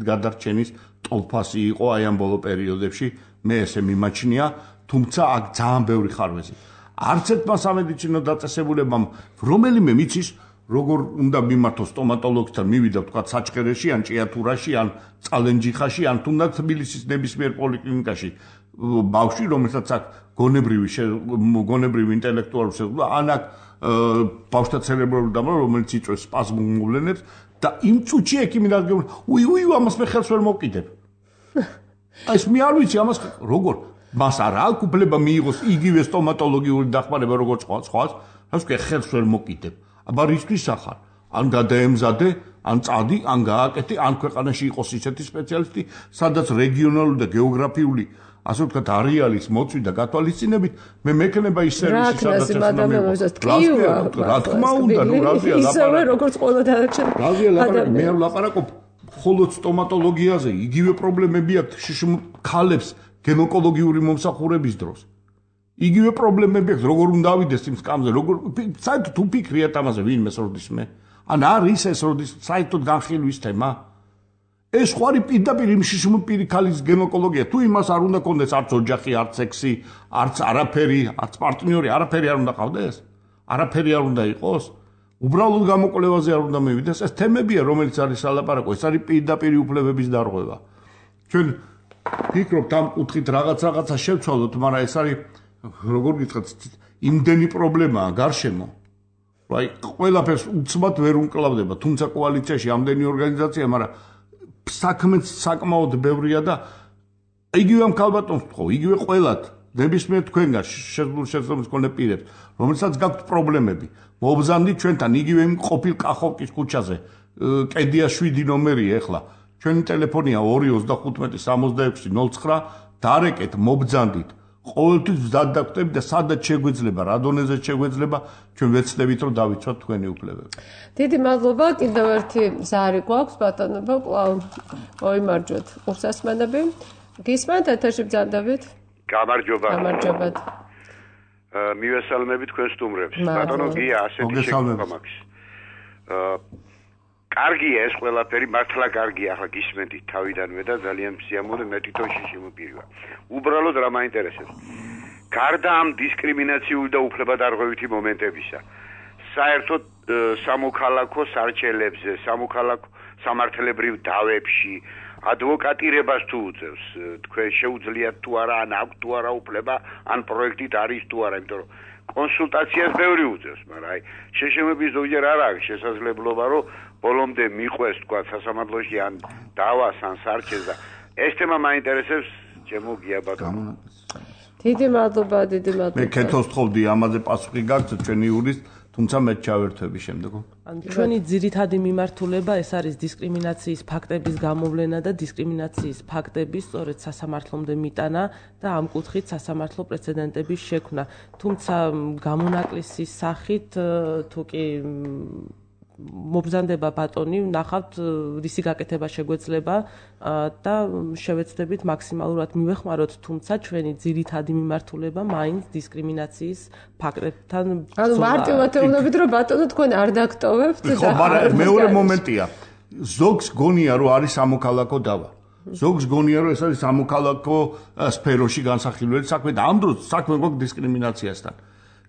გადარჩენის ტოლფასი იყო აი ამ ბოლო პერიოდებში, მე ესე მიმაჩნია, თუმცა აქ ძალიან ბევრი ხარვეზი. არც ერთმა სამედიცინო დაწესებულებამ რომელიმე მიცის, როგორ უნდა მიმართოს სტომატოლოგთან, მივიდა თქვა საჩხერეში, ან ჭიათურაში, ან წალენჯიხაში, ან თუნდაც თბილისის ნებისმიერ პოლიკლინიკაში ბავშვი, რომელსაც აქ გონებრივი ინტელექტუალური შეზღუდვა, ან აქ ბავშვთა ცერებრული დამრევლობა, რომელიც იწვევს სპაზმურ მოვლენებს და იმ წუთში ექიმი დადგება, უი, ამას მე ხელს ვერ მოვკიდებ. ეს მე არ ვიცი ამას როგორ მას არ აქვს უფლება მიიღოს იგივე სტომატოლოგიური დახმარება როგორც სხვას, რას ვქე ხელს ვერ მოვკიდებ. აბა რისთვის ახარ? ან გადაემზადე, ან წადი, ან გააკეთე, ან ქვეყანაში იყოს ისეთი სპეციალისტი, სადაც რეგიონალური და გეოგრაფიული ასე ვთქვათ, არეალის მოწვი და გათვალისწინებით, მე მექნება ის სერვისი, სადაც რა თქმა უნდა, ნუ რაზეა ლაპარაკი. ისევე როგორც ყველა დანარჩენ. რაზეა ლაპარაკი, მე არ ვლაპარაკობ მხოლოდ სტომატოლოგიაზე, იგივე პრობლემები აქვს შიშიმ ქალებს გინეკოლოგიური მომსახურების დროს. იგივე პრობლემები აქვს, როგორ უნდა ავიდეს იმ სკამზე, როგორ საერთოდ თუ ფიქრიათ ამაზე, ვინმე სროდის მე? ან არის ეს როდის საერთოდ განხილვის თემა? ეს ხوارი პირდაპირ იმ შიშმპირი ქალის გინეკოლოგია, თუ იმას არ უნდა კონდეს არც ოჯახი, არც სექსი, არც არაფერი, არც პარტნიორი, არაფერი არ უნდა ყავდეს? არაფერი არ უნდა იყოს? უბრალოდ გამოკვლევაზე არ უნდა მივიდეს, ეს თემებია, რომელიც არის ალაპარაკო, ეს არის პირდაპირი უფლებების დარღვევა. ჩვენ ფიქრობთ ამ კუთხით რაღაცა შევცვალოთ, მაგრამ ეს არის როგორ გითხრათ, იმდენი პრობლემაა გარშემო. აი, ყველაფერს უცბად ვერ უმკლავდება, თუმცა კოალიციაში ამდენი ორგანიზაცია, მაგრამ საქმეც საკმაოდ ბევრია და იგივე ამ ქალბატონს ვთქო, იგივე ყველათ, ნებისმიერ თქვენგან შესაძლოა მქონე პირებს, რომელსაც გაქვთ პრობლემები. მობრძანდით ჩვენთან იგივე იმ ყოფილ კახოვკის ქუჩაზე, კედია 7 ნომერია ეხლა. ჩვენი ტელეფონია 255-66-09, დარეკეთ, მობრძანდით. ყოველთვის მზად დაგვტებით და სადაც შეგვეძლება, რა დონეზე შეგვეძლება, ჩვენ ვეცდებით რომ დავიცვათ თქვენი უფლებები. დიდი მადლობა, კიდევ ერთი ზარი გვაქვს ბატონებო, კვლავ მოიმარჯვეთ ყურსასმენები. გისმენთ ეთერში ბრძანდებით? გამარჯობა. გამარჯობათ. მივესალმებით თქვენ სტუმრებს. ბატონო გია, ასეთი შეგვიძლია მაქვს. კარგია ეს ყველაფერი, მართლა კარგია, ახლა გისმენთ თავიდანვე და ძალიან სიამოვნე მე თვითონ შემოპირვა. უბრალოდ რა მაინტერესებს. გარდა ამ დისკრიმინაციული და უფლებადარღვევითი მომენტებისა, საერთოდ სამოქალაქო სარჩელებზე, სამოქალაქო სამართლებრივ დავებში ადვოკატირებას თუ უწევს, თქვენ შეუძლიათ თუ არა, ან აქვს თუ არა უფლება, ან პროექტით არის თუ არა, იმიტომ რომ კონსულტაციას ბევრი უწევს, მაგრამ აი შეშემების ზოგჯერ არ აქვს შესაძლებლობა, რომ ბოლომდე მიყვეს თქვა სასამართლოში ან დავას ან სარჩელს და ეს თემა მაინტერესებს ჩემო გია ბატონო. დიდი მადლობა, დიდი მადლობა. მე კეთოს თხოვდი ამაზე პასუხი გაქვთ ჩვენი იურისტ, თუმცა მე ჩავერთვები შემდეგ. ჩვენი ძირითადი მიმართულება ეს არის დისკრიმინაციის ფაქტების გამოვლენა და დისკრიმინაციის ფაქტების სწორედ სასამართლომდე მიტანა და ამ კუთხით სასამართლო პრეცედენტების შექმნა. თუმცა გამონაკლისის სახით თუ კი მობრძანდება ბატონი, ნახავთ რისი გაკეთება შეგვეძლება და შევეცდებით მაქსიმალურად მივეხმაროთ, თუმცა ჩვენი ძირითადი მიმართულება მაინც დისკრიმინაციის ფაქტებთან ანუ მარტივად ეუბნებით, რომ ბატონო თქვენ არ დაგტოვებთ და ხო, მაგრამ მეორე მომენტია. ზოგს გონია, რომ არის სამოქალაქო დავა. ზოგს გონია, რომ ეს არის სამოქალაქო სფეროში განსახილველი საქმე და ამ დროს საქმე გვაქვს დისკრიმინაციასთან.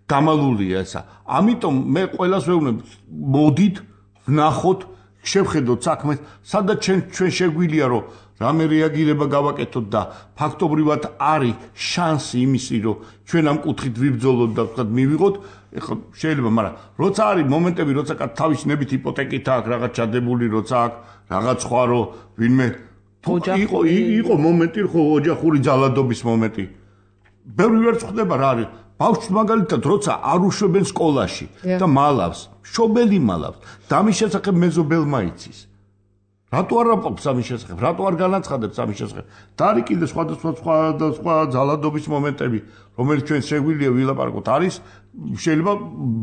გამალულია ესა. ამიტომ მე ყველას ვეუბნებ, მოდით, ვნახოთ, შევხედოთ საქმეს, სადაც ჩვენ შეგვიძლია რომ რამე რეაგირება გავაკეთოთ და ფაქტობრივად არის შანსი იმისი, რომ ჩვენ ამ კუთხით ვიბრძოლოთ და ვთქვათ მივიღოთ, ეხლა შეიძლება, მაგრამ როცა არის მომენტები, როცა თავის ნებით იპოთეკით აქვს, რაღაც ჩადებული, როცა აქვს რაღაც სხვა რომ ვინმე იყო მომენტი, ხო, ოჯახური ძალადობის მომენტი. ბევრი ვერც ხდება რა არის. ბავშვს მაგალითად როცა არ უშვებენ სკოლაში და მალავს, შობელი მალავს, და ამის შესახებ მეზობელმა იცის. რატო არ ამბობს ამის შესახებ? რატო არ განაცხადებს ამის შესახებ? და არის კიდე სხვა ძალადობის მომენტები, რომელიც ჩვენ შეგვიძლია ვილაპარაკოთ, არის შეიძლება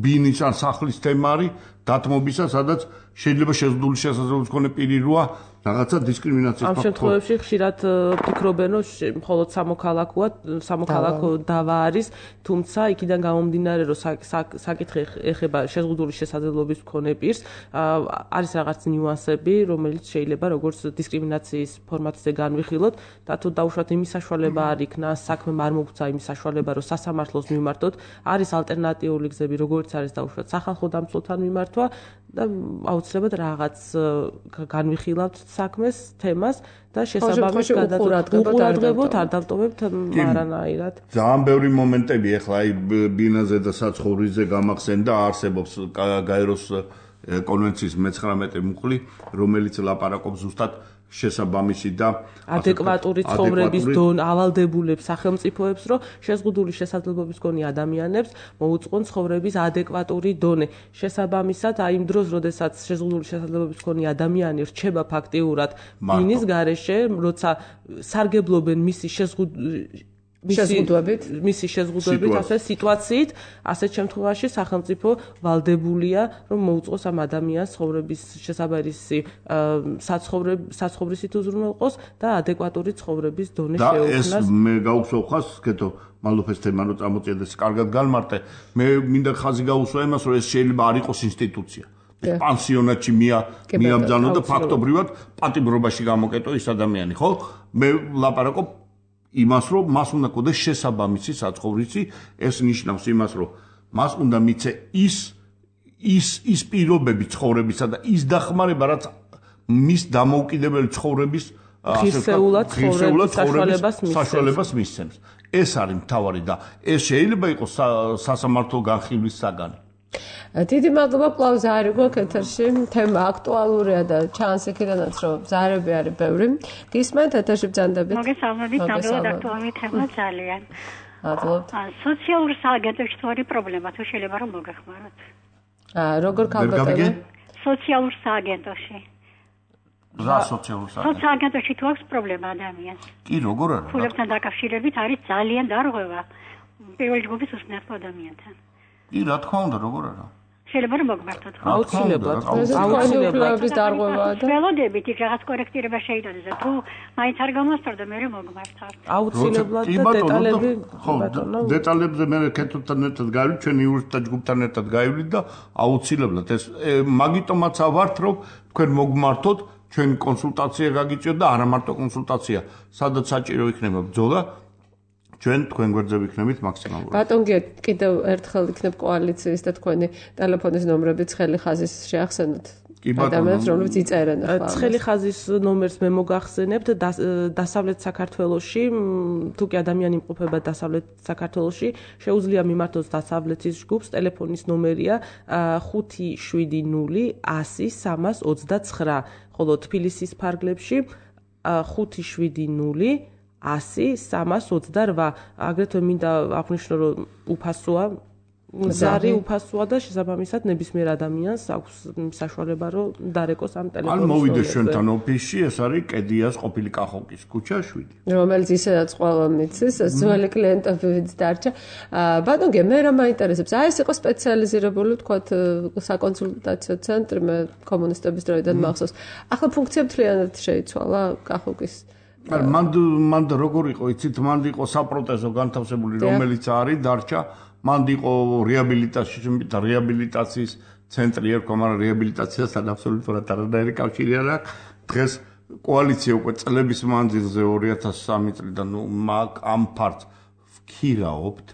ბინის ან სახლის თემა არის დათმობისა, სადაც შეიძლება შეზღუდული შესაძლებლობის მქონე პირი როა რაღაცა დისკრიმინაციის ამ შემთხვევებში ხშირად ფიქრობენ, რომ მხოლოდ სამოქალაქო დავა არის, თუმცა იქიდან გამომდინარე, რომ საკითხი ეხება შეზღუდული შესაძლებლობის მქონე პირს, არის რაღაც ნიუანსები, რომელიც შეიძლება როგორც დისკრიმინაციის ფორმატზე განვიხილოთ და თუ დაუშვათ იმის საშუალება არ იქნა, საქმე არ მოგვცა იმის საშუალება, რომ სასამართლოს მიმართოთ, არის ალტერნატიული გზები, როგორც არის დაუშვათ სახალხო დამცველთან მიმართვა და აუცილებლად რაღაც განვიხილავთ საქმეს, თემას და შესაბამის გადაწყვეტილებით არ დავტოვებთ არანაირად. ძალიან ბევრი მომენტები ახლა აი ბინაზე და საცხოვრისზე გამახსენდა, არსებობს გაეროს კონვენციის 19 მუხლი, რომელიც ლაპარაკობს ზუსტად შესაბამისი და ადეკვატური ცხოვრების ავალდებულებს სახელმწიფოებს, რომ შეზღუდული შესაძლებლობის მქონე ადამიანებს მოუწყონ ცხოვრების ადეკვატური დონე. შესაბამისად, აი იმ დროს, როდესაც შეზღუდული შესაძლებლობის მქონე ადამიანი რჩება ფაქტიურად ბინის გარეშე, როცა სარგებლობენ მისი შეზღუდვებით, ასე სიტუაციით, ასეთ შემთხვევაში სახელმწიფო ვალდებულია, რომ მოუწყოს ამ ადამიანს ცხოვრების შესაბამისი საცხოვრისით უზრუნველყოს და ადეკვატური ცხოვრების დონე შეუქმნას. და ეს მე გაუსვევ ხას, კეთო, მადლობ ეს თემა რომ წამოწიეთ და კარგად განმარტე. მე მინდა ხაზი გაუსვა იმას, რომ ეს შეიძლება არ იყოს ინსტიტუცია. პანსიონატში მიაბრძანო და ფაქტობრივად პატიმრობაში გამოკეტო ის ადამიანი, ხო? მე ლაპარაკობ იმას, რომ მას უნდა ქონდეს შესაბამისი საცხოვრისი, ეს ნიშნავს იმას, რომ მას უნდა მიცე ის პირობები ცხოვრებისა და ის დახმარება, რაც მის დამოუკიდებელი ცხოვრების საშუალებას მისცემს. ეს არის მთავარი და ეს შეიძლება იყოს სასამართლო განხილვის საგანი. დიდი მადლობა კვლავ ზარი გვაქვს ეთერში. თემა აქტუალურია და ჩანს იქიდანაც რომ ზარები არის ბევრი. გისმენთ ეთერში ბრძანდებით. მოგესალმებით, ნამდვილად აქტუალური თემა ძალიან. მადლობთ. სოციალურ სააგენტოში თუ არის პრობლემა, თუ შეიძლება რომ მოგეხმაროთ. როგორ ქალბატონი? სოციალურ სააგენტოში. რა სოციალურ სააგენტოში? სააგენტოში თუ აქვს პრობლემა ადამიანს. კი, როგორ არის? ფულებთან დაკავშირებით არის ძალიან დარღვევა პირველი ჯგუფის უსწრაფო ადამიანთან. კი, რა თქმა უნდა, როგორ არა? შეიძლება რომ მოგმართოთ. აუცილებლად. აუცილებლად დარღვევაა და ველოდებით იქ რაღაც კორექტირება შეიძლება და თუ მაინც არ გამოსწორდა მე მოგმართოთ. აუცილებლად და დეტალები დეტალებზე მე კეთილთან ერთად გავივით, ჩვენ იურისტთა ჯგუფთან ერთად გავივით და აუცილებლად ეს მაგიტომაც ავართ, რომ თქვენ მოგმართოთ, ჩვენ კონსულტაცია გაგიწიოთ და არა მარტო კონსულტაცია, სადაც საჭირო იქნება ბრძოლა. ჩვენ თქვენ გვერდზე ვიქნებით მაქსიმალურად. ბატონგია კიდევ ერთხელ იქნებ კოალიციის და თქვენი ტელეფონის ნომრები ცხელი ხაზის შეახსენოთ. ადამიანებს რომლებიც იწერენ ახლა. ცხელი ხაზის ნომერს მე მოგახსენებთ დასავლეთ საქართველოში, თუ კი ადამიანი იმყოფება დასავლეთ საქართველოში, შეუძლია მიმართოს დასავლეთის ჯგუფს, ტელეფონის ნომერია 570 100 329, ხოლო თბილისის ფარგლებში 570 100 328. აგრეთვე მინდა აღვნიშნო, რომ უფასოა, ზარი უფასოა და შესაბამისად ნებისმიერ ადამიანს აქვს საშუალება, რომ დარეკოს ამ ტელეფონის ნომერზე. ან მოვიდეს ჩვენთან ოფისში, ეს არის კედიას ყოფილი კახოვკის ქუჩა 7. რომელიც ისედაც ყველა მიცის, ძველი კლიენტებიც დარჩა. ბატონგე, მე რა მაინტერესებს? აი ეს იყო სპეციალიზირებული, თქვათ, საკონსულტაციო ცენტრი, მე კომუნისტების დროიდან მახსოვს. ახლა ფუნქცია მთლიანად შეიცვალა კახოვკის. მან როგორ იყო, იცით, მან იყო საპროტეზო განთავსებული, რომელიც არის დარჩა, მან იყო რეაბილიტაციის ცენტრი ერქვა, მაგრამ რეაბილიტაციასთან აბსოლუტურად არანაირი კავშირი არ აქვს. დღეს კოალიცია უკვე წლების მანძილზე 2003 წლიდან ამ ფართს ვქირაობთ,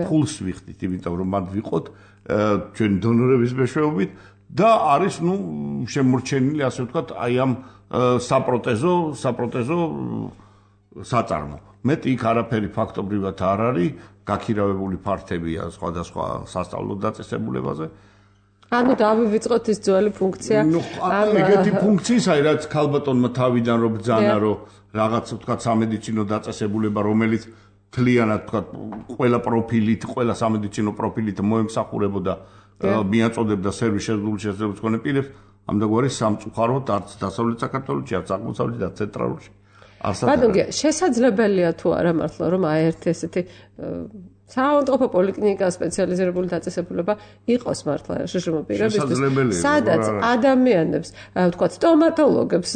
ფულს ვიხდით, იმიტომ რომ მან ვიყოთ ჩვენ დონორების მეშვეობით და არის შემორჩენილი, ასე ვთქვათ, აი ამ საპროტეზო საწარმო. მეტი იქ არაფერი ფაქტობრივად არ არის, გაქირავებული ფართებია სხვადასხვა სასწავლო დაწესებულებაზე. ანუ დავივიწყოთ ის ძველი ფუნქცია. ეგეთი ფუნქციისაა, რაც ქალბატონმა თავიდან რო ბრძანა, რომ რაღაც ვთქვათ სამედიცინო დაწესებულება, რომელიც თლიანად ვთქვათ ყველა პროფილით, ყველა სამედიცინო პროფილით მოემსახურებოდა, მიაწოდებდა სერვის შეზღუდული შესაძლებლობის მქონე პირებს. ამდაგვარი სამწუხაროდ არც დასავლეთ საქართველოში, არც აღმოსავლეთ და ცენტრალურში არსად. ბატონგე, შესაძლებელია თუ არა მართლა რომ აი ერთი ესეთი საავადმყოფო პოლიკლინიკა სპეციალიზირებული დაწესებულება იყოს მართლა შშმ პირებისთვის, სადაც ადამიანებს, ვთქვათ, სტომატოლოგებს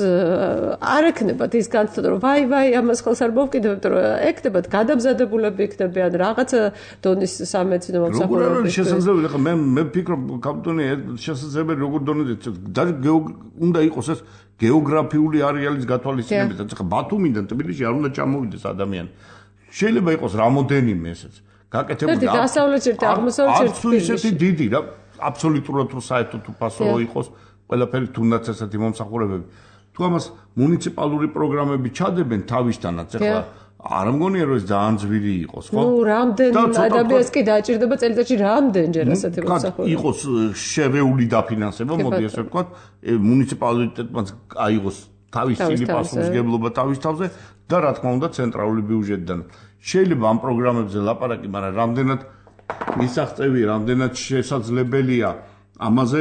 არ ექნებათ ის განცდა, რომ ვაი, ამას ხელს არ მოვკიდებთ, რომ ექნებათ გადამზადებულები იქნებიან რაღაც დონის სამედიცინო მომსახურებები. შესაძლებელი, ხა მე ვფიქრობ, კაპიტონი, შესაძლებელი როგორ დონეზე უნდა იყოს ეს გეოგრაფიული არეალის გათვალისწინებით, ხა ბათუმიდან თბილისში არ უნდა ჩამოვიდეს ადამიანი. შეიძლება იყოს რამოდენიმე ესეც. გაკეთებული დასავლეთში და აღმოსავლეთში ისეთი დიდი რა აბსოლუტურად რო საერთოდ უფასო იყოს ყველაფერი თუნდაც ესეთი მომსახურებები თუ ამას მუნიციპალური პროგრამები ჩადებენ თავისთანაც ახლა არ მგონია რომ ეს ძალიან ძვირი იყოს ხო? რამდენი ადამიანს კი დაჭირდება წელიწადში რამდენჯერ ასეთი მომსახურება? იყოს შერეული დაფინანსება, მოდი ასე ვთქვათ, მუნიციპალიტეტმაც აიღოს თავისი პასუხისმგებლობა თავის თავზე და რა თქმა უნდა ცენტრალური ბიუჯეტიდან. შეიძლება ამ პროგრამებზე ლაპარაკი, მაგრამ რამდენად მისაღწევი, რამდენად შესაძლებელია ამაზე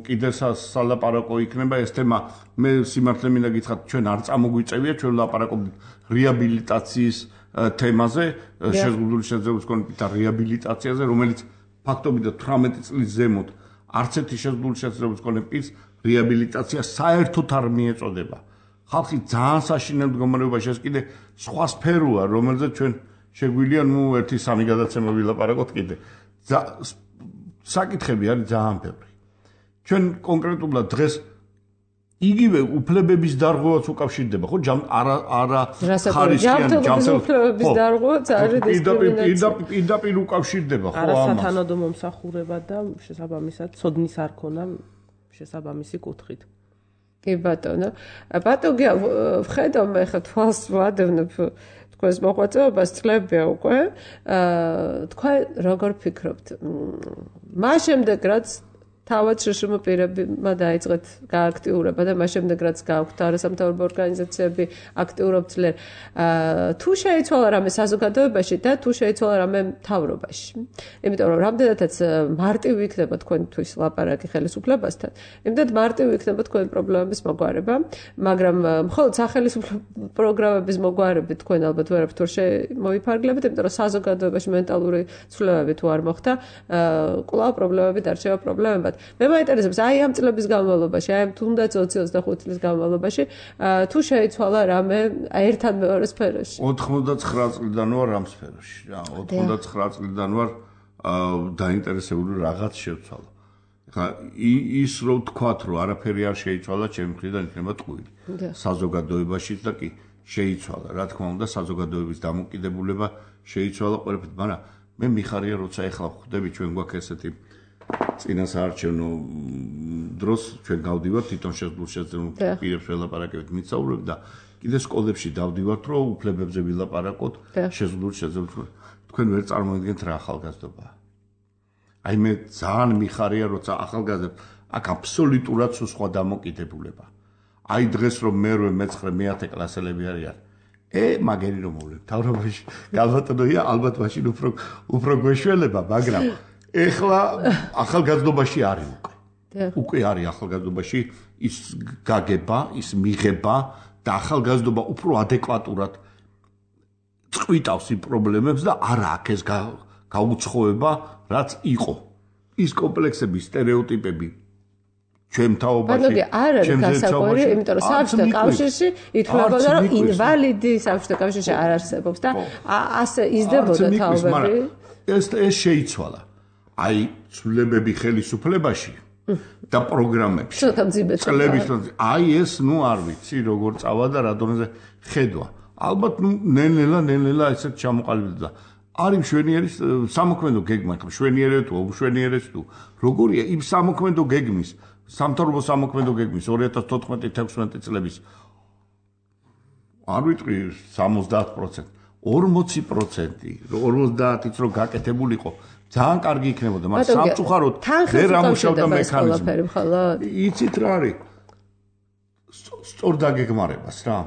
კიდე სალაპარაკო იქნება ეს თემა. მე სიმართლე მინდა გითხრათ, ჩვენ არ წამოგვიწევია, ჩვენ ლაპარაკობთ რეაბილიტაციის თემაზე, შეზღუდული შეძლების კონფლიქტთა რეაბილიტაციაზე, რომელიც ფაქტობრივად 18 წლის ზემოთ არც ერთი შეზღუდული შეძლების კონფლიქტის რეაბილიტაცია საერთოდ არ მიეწოდება. ხალხი ძალიან საშინელ მდგომარეობაში ეს კიდე სხვა სფეროა, რომელზეც ჩვენ შეგვიძლია 1-3 გადაცემა ვილაპარაკოთ კიდე. საკითხები არის ძალიან ბევრი. ჩვენ კონკრეტულად დღეს იგივე უფლებების დარღვევაც უკავშირდება, ხო? არა ხარისხიანი უფლებების დარღვევაც არის დისკრიმინაცია. პირდაპირ უკავშირდება, ხო, ამას. არასათანადო მომსახურება და შესაბამისად ცოდნის არ ქონა შესაბამისი კუთხით. კი ბატონო. ბატონი ვხედავ მე ხა თვალს ვადევნებ თქვენს მოღვაწეობას წლებია უკვე. თქვენ როგორ ფიქრობთ? მას შემდეგ რაც თავად შშმ პირებმა დაიწყეთ გააქტიურება და მას შემდეგ რაც გააქვთ არასამთავრობო ორგანიზაციები აქტიურობთ ძლიერ, თუ შეიცვალა რამე საზოგადოებაში და თუ შეიცვალა რამე მთავრობაში. იმიტომ რომ რამდენადაც მარტივი იქნება თქვენთვის ლაპარაკი ხელისუფლებასთან, იმდენად მარტივი იქნება თქვენი პრობლემების მოგვარება, მაგრამ მხოლოდ სახელმწიფო პროგრამების მოგვარებით თქვენ ალბათ ვერაფერ თუ მოიფარგლებით, იმიტომ რომ საზოგადოებაში მენტალური ცვლილებები თუ არ მოხდა, კვლავ პრობლემები დარჩება პრობლემებად. მე მაინტერესებს აი ამ წლების განმავლობაში, აი თუნდაც 20-25 წლის განმავლობაში, თუ შეიცვალა რამე ერთად მეორე სფეროში. 99 წლიდან ვარ ამ სფეროში. 99 წლიდან ვარ დაინტერესებული რაღაც შევცვალა. ხა ის რო თქვათ, რომ არაფერი არ შეიცვალა, ჩემი მხრიდან იქნება ტყუილი. საზოგადოებაში და კი შეიცვალა. რა თქმა უნდა, საზოგადოების დამოკიდებულება შეიცვალა ყველაფერით, მაგრამ მე მიხარია, როცა ეხლა ხვდები ჩვენ გვაქვს ესეთი წინასაარჩევნო დროს ჩვენ გავდივართ თვითონ შეზღუდულ პირებს ველაპარაკებით მისაუბრებ და კიდე სკოლებში დავდივართ რომ უფლებებზე ვილაპარაკოთ შეზღუდულ შეძლებს თქვენ ვერ წარმოიდგენთ რა ახალგაზრდობაა. აი მე ძალიან მიხარია როცა ახალგაზრდებს აქ აბსოლუტურად სხვა დამოკიდებულება. აი დღეს რომ მე-8 მე-9 მე-10 კლასელები არიან მაგერი რომ მოვლენ თავრობაში გალბატონოია ალბათ მაშინ უფრო გვეშველება მაგრამ ეხლა ახალგაზრდობაში არის უკვე არის ახალგაზრდობაში ის გაგება, ის მიღება და ახალგაზრდობა უფრო ადეკვატურად წყვიტავს იმ პრობლემებს და არა აქ ეს გაუცხოება, რაც იყო. ის კომპლექსები, სტერეოტიპები ჩვენ თაობაში, არ არის გასაკვირი, იმიტომ რომ საბჭოთა კავშირში ითვლებოდა, რომ ინვალიდი საბჭოთა კავშირში არ არსებობს და ასე იზრდებოდა თაობები. ეს შეიცვალა. აი ცვლილებები ხელისუფლებაში და პროგრამებში. წლების აი ეს არ ვიცი როგორ წავა და რა დონეზე ხედვა. ალბათ ნელ-ნელა ესეთ ჩამოყალიბდა. არის მშვენიერის სამოქმედო გეგმა, მშვენიერეთ თუ უშვენიერეთ თუ როგორია იმ სამოქმედო გეგმის, სამთავრობო სამოქმედო გეგმის 2014-16 წლების არ ვიტყვი 70%, 40%, 50-იც რო გაკეთებულიყო. ძალიან კარგი იქნებოდა, მაგრამ სამწუხაროდ ვერ ამუშავდა მექანიზმი. იცით რა არის? სწორ დაგეგმარებას რა.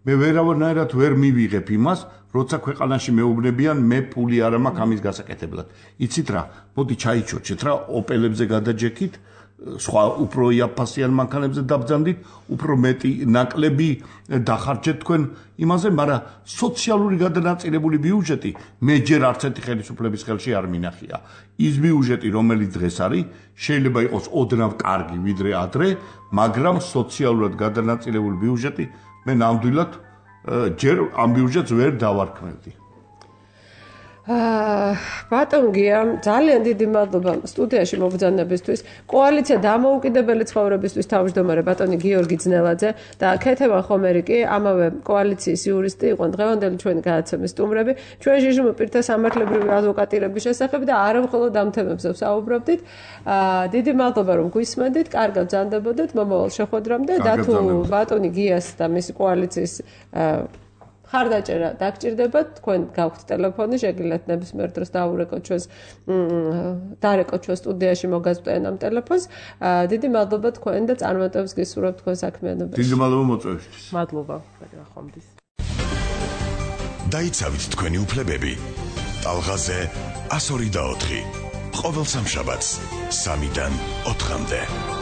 მე ვერავნაირად ვერ მივიღებ იმას, როცა ქვეყანაში მეუბნებიან, მე ფული არ მაქვს ამის გასაკეთებლად. იცით რა? მოდი ჩაიჩოჩეთ რა, ოპელებზე გადაჯექით, სხვა უფრო იაფასიან მანქანებზე დაბძანდით, უფრო მეტი ნაკლები დახარჯეთ თქვენ იმაზე, მაგრამ სოციალური გადანაწილებული ბიუჯეტი მე ჯერ არც ერთი ხელისუფლების ხელში არ მინახია. ის ბიუჯეტი, რომელიც დღეს არის, შეიძლება იყოს ოდნავ კარგი ვიდრე ადრე, მაგრამ სოციალურად გადანაწილებული ბიუჯეტი მე ნამდვილად ჯერ ამ ბიუჯეტს ვერ დავარქმევდი. ბატონ გია, ძალიან დიდი მადლობა სტუდიაში მობრძანებისთვის. კოალიცია დამოუკიდებელი ცხოვრებისთვის თავმჯდომარე ბატონი გიორგი ძნელაძე და ქეთევან ხომერიკი, ამავე კოალიციის იურისტი იყვნენ დღევანდელი ჩვენი გადაცემის სტუმრები. ჩვენ ჟიჟმ პირთა სამართლებრივი ადვოკატირების შესახებ და არა მხოლოდ ამ თემებზე ვსაუბრობდით. დიდი მადლობა რომ გვისმენდით, კარგად ბრძანდებოდეთ მომავალ შეხვედრამდე და თუ ბატონი გიას და მისი კოალიციის ხარდაჭერა დაგჭირდებათ, თქვენ გაქვთ ტელეფონი, შეგიძლიათ ნებისმიერ დროს დაურეკოთ ჩვენს სტუდიაში მოგაზრდენ ამ ტელეფონს. დიდი მადლობა თქვენ და წარმატებას გისურვებთ თქვენ საქმიანობაში. დიდი მადლობა მოწვევისთვის. მადლობა, ხომდის. დაიცავით თქვენი უფლებები. ტალღაზე 102 და 4. ყოველ სამშაბათს 3-დან 4-მდე.